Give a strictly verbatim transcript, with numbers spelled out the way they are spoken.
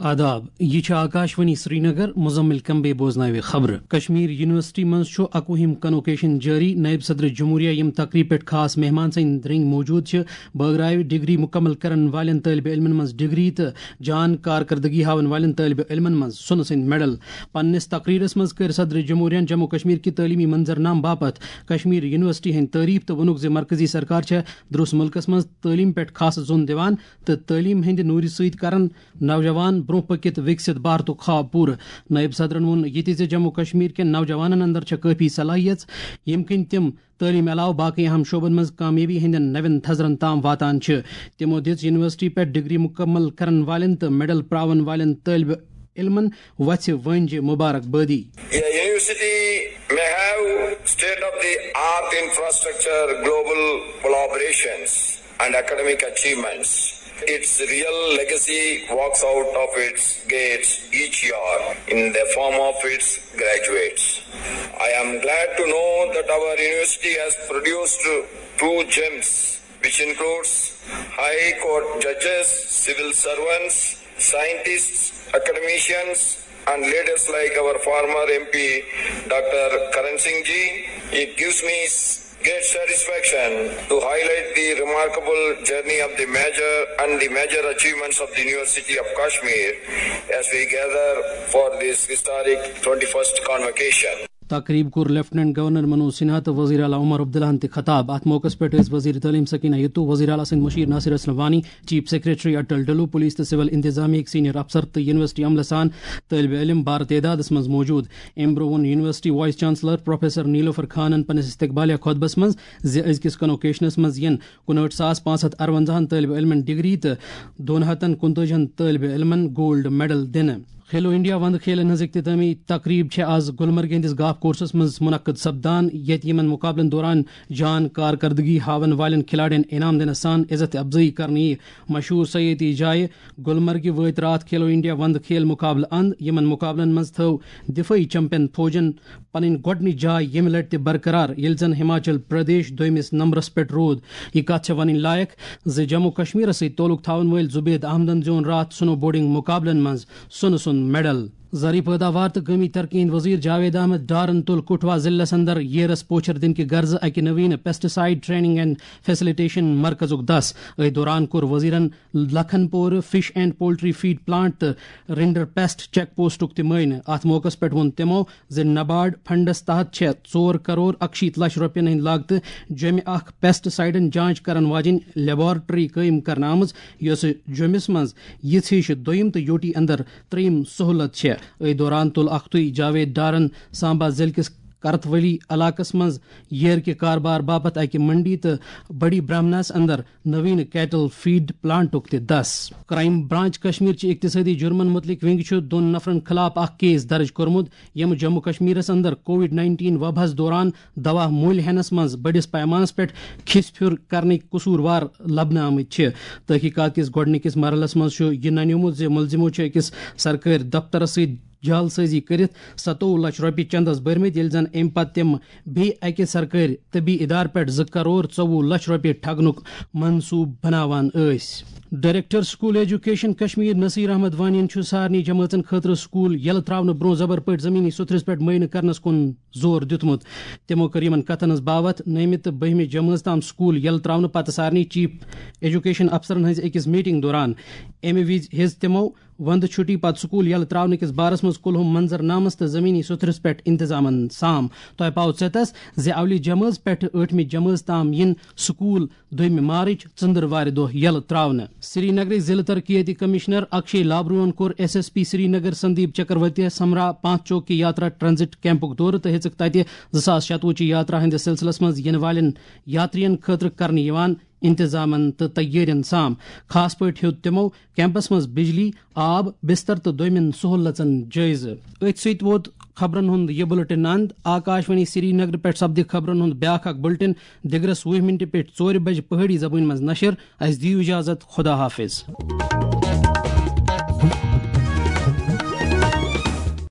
آداب، یہِ چھِ آکاشوانی سرینگر، مزمل کمبے بوزناوِ خبرٕ۔ کشمیر یونیورسٹی منٛز چھُ اکوُہِم کنوکیشن جٲری۔ نائب صدر جمہوریہ یِم تقریب پٮ۪ٹھ خاص مہمان سٕنٛدۍ رٔنگۍ موجود چھِ، بٲگراوِ ڈگری مکمل کرن والٮ۪ن طٲلبِ علمن منٛز ڈگری تہٕ جان کارکردگی ہاون والٮ۪ن طٲلبِ علمن منٛز سۄنہٕ سٕنٛدۍ میڈل۔ پننِس تقریرس منٛز کٔرۍ صدر جمہوریہن جموں کشمیر کہِ تعلیمی منظرنامہٕ باپتھ کشمیر یونیورسٹی ہٕنٛدۍ تعریف تہٕ ووٚنُکھ زِ مرکزی سرکار چھےٚ درست ملکس منٛز تعلیٖم پٮ۪ٹھ خاص زوٚن دِوان تہٕ تعلیٖم ہٕنٛدِ نوٗرِ سۭتۍ کرن نوجوان برونٛہہ پٔکِتھ وِکسِت بھارتُک خواب پوٗرٕ۔ نٲیِب صدرن ووٚن یہِ تہِ زِ جموں کشمیر کٮ۪ن نوجوانن اندر چھےٚ کٲفی صلٲحیت، ییٚمہِ کِنۍ تِم تعلیٖم علاوٕ باقٕے اہم شعبن منٛز کامیٲبی ہٕنٛدٮ۪ن نوٮ۪ن تھزرن تام واتان چھِ۔ تِمو دِژ یونیورسٹی پٮ۪ٹھ ڈگری مکمل کرن والٮ۪ن تہٕ میڈل پراون والٮ۪ن طٲلبِ علمن وژھِ وٲنجہِ مبارک بٲدی۔ A university may have state of the art infrastructure, global collaborations, and academic achievements. Its real legacy walks out of its gates each year in the form of its graduates. I am glad to know that our university has produced two gems, which includes High Court judges, civil servants, scientists, academicians, and leaders like our former M P, Doctor Karan Singh ji. It gives me s- great satisfaction to highlight the remarkable journey of the major and the major achievements of the University of Kashmir as we gather for this historic twenty-first convocation. تقریب کوٚر lieutenant governor Manoj Sinha تہٕ وزیر اعلیٰ عمر عبداللہن تہِ خطاب۔ اتھ موقعس پٮ۪ٹھ ٲسۍ وزیر تعلیٖم سکینہ یتو، وزیر اعلیٰ سٕنٛدۍ مشیر Nasir Aslam Wani, chief secretary Atal Dulloo, police تہٕ سول انتظامیہ ہٕکۍ سینئر افسر تہٕ یونیورسٹی عملہٕ سان طٲلبِ علم بار تعدادس منٛز موجود۔ امہِ برٛونٛہہ ووٚن یونیورسٹی وائس چانسلر پروفیسر نیلوفر خانن پننِس استقبالیہ خطبس منٛز زِ أزکِس کنوکیشنس منٛز یِن کُنہٲٹھ ساس پانٛژھ ہتھ ارونزاہن طٲلبِ علمن ڈگری تہٕ دۄن ہتن کُنتٲجِہن طٲلبِ علمن گولڈ میڈل دِنہٕ۔ کھیلو انڈیا وندٕ کھیلن ہٕنٛز اختتامی تقریب چھےٚ آز گلمرگ ہٕنٛدِس گالف کورسس منٛز منعقد سپدان، ییٚتہِ یِمن مقابلن دوران جان کارکردگی ہاون والٮ۪ن کھلاڑٮ۪ن انعام دِنہٕ سان عزت افزٲیی کرنہٕ یِیہِ۔ مشہوٗر سیٲحتی جایہِ گلمرگہِ وٲتۍ راتھ کھیلو انڈیا وندٕ کھیل مقابلہٕ اند۔ یِمن مقابلن منٛز تھٲو دفٲعی چیمپین فوجن پنٕنۍ گۄڈٕنِچ جاے ییٚمہِ لٹہِ تہِ برقرار، ییٚلہِ زن ہماچل پردیش دوٚیمِس نمبرس پٮ۪ٹھ روٗد۔ یہِ کتھ چھےٚ ونٕنۍ لایق زِ جموں کشمیرس سۭتۍ تعلق تھاون وٲلۍ زبید احمدن زیوٗن راتھ سنو بورڈنگ مقابلن منٛز سۄنہٕ سُنٛد میڈل۔ زرعی پٲداوار تہٕ قومی ترقی ہٕنٛدۍ وزیر جاوید احمد ڈارن تُل کٹھوا ضلعس اندر ییرس پوچھر دِنہٕ کہِ غرضہٕ اکہِ نویٖن pesticide training and facilitation مرکزُک دس۔ أتھۍ دوران کوٚر وزیرن Lakhanpur fish and poultry feed plant تہٕ رنڈر پیسٹ چیک پوسٹُک تہِ معائنہٕ۔ اتھ موقعس پٮ۪ٹھ ووٚن تِمو زِ نبارڈ فنڈس تحت چھےٚ ژور کرور اکشیٖتھ لچھ رۄپین ہٕنٛدِ لاگتہٕ جوٚمہِ اکھ پیسٹ سائیڈن جانچ کرن واجیٚنۍ لیبارٹری قٲیِم کرنہٕ آمٕژ، یۄسہٕ جوٚمِس منٛز یِژھ ہِش دوٚیِم تہٕ یوٹی اندر ترٛیٚیِم سہولت چھےٚ۔ أتھۍ دوران تُل اکھتُے جاوید ڈارن سامبا ضلعہٕ کِس کرتھ ولی علاقس منٛز ییر کہِ کاربار باپتھ اکہِ منڈی تہٕ بڑی برہمناہس اندر نوین کیٹل فیڈ پلانٹُک تہِ دس۔ کرائم برانچ کشمیر چہِ اقتصٲدی جرمن متعلق ونگ چھُ دۄن نفرن خلاف اکھ کیس درج کوٚرمُت، یِم جموں کشمیرس اندر کووڈ نائنٹین وباہس دوران دوا مٔلۍ ہینس منٛز بٔڑِس پیمانس پٮ۪ٹھ کھِس پھِر کرنٕکۍ قصوٗروار لبنہٕ آمٕتۍ چھِ۔ تحقیقات کِس گۄڈٕنِکِس مرحلس منٛز چھُ یہِ ننیومُت زِ مُلزِمو چھُ أکِس سرکٲرۍ دفترس سۭتۍ جعل سٲزی کٔرِتھ ستووُہ لچھ رۄپیہِ چندس بٔرمٕتۍ، ییٚلہِ زن اَمہِ پتہٕ تِم بیٚیہِ اَکہِ سرکٲرۍ طبی ادارٕ پٮ۪ٹھ زٕ کرور ژوٚوُہ لچھ رۄپیہِ ٹھگنُک منصوٗبہٕ بناوان ٲسۍ۔ Director school education Kashmir Naseer Ahmad وانین چھُ سارنٕے جمٲژن خٲطرٕ سکول یلہٕ تراونہٕ برونٛہہ زبر پٲٹھۍ زمینی سُتھرس پٮ۪ٹھ معائنہٕ کرنس کُن زور دیُتمُت۔ تِمو کٔر یِمن کتھن ہٕنٛز باوتھ نٔومہِ تہٕ بٔہمہِ جمٲژ تام سکول یلہٕ تراونہٕ پتہٕ سارنٕے چیف ایجوکیشن افسرن ہٕنٛزِ أکِس میٹنگ دوران۔ اَمہِ وِزِ ہیٚژ تِمو وندٕ چھُٹی پتہٕ سکول یلہٕ تراونہٕ کِس بارس منٛز کُلہُم منظرنامس تہٕ زمینی سُتھرس پٮ۪ٹھ انتظامن سام۔ تۄہہِ پاوٕ ژیتس زِ اولہِ جمٲژ پٮ۪ٹھٕ ٲٹھمہِ جمٲژ تام یِن سکول دوٚیمہِ مارچ ژٔنٛدٕروارِ دۄہ یلہٕ تراونہٕ۔ سری نگرٕکۍ ضلعہٕ ترقیتی کمشنر اکشے لابروہن کوٚر ایس ایس پی سری نگر سندیپ چکرورتیَس ہمراہ پانٛژھ چوکی یاترا ٹرانزٹ کیمپُک دورٕ تہٕ ہیٚژٕکھ تتہِ زٕ ساس شتوُہ چہِ یاترا ہٕنٛدِس سلسلس منٛز یِنہٕ والٮ۪ن یاترین خٲطرٕ کرنہٕ یِوان انتظامن تہٕ تیٲرین سام۔ خاص پٲٹھۍ ہیوٚت تِمو کیمپس منٛز بجلی، آب، بستر تہٕ دوٚیمٮ۪ن سہولژن جٲیزٕ۔ أتھۍ سۭتۍ ووت خبرن ہُنٛد یہِ بُلٹن اند۔ آکاشوانی سری نگر پٮ۪ٹھ سپدِ خبرن ہُنٛد بیٛاکھ اکھ بُلٹن دِگرس وُہہِ مِنٹہِ پٮ۪ٹھ ژورِ بجہِ پہٲڑی زبٲنۍ منٛز نشر۔ اسہِ دِیِو اجازت، خدا حافظ۔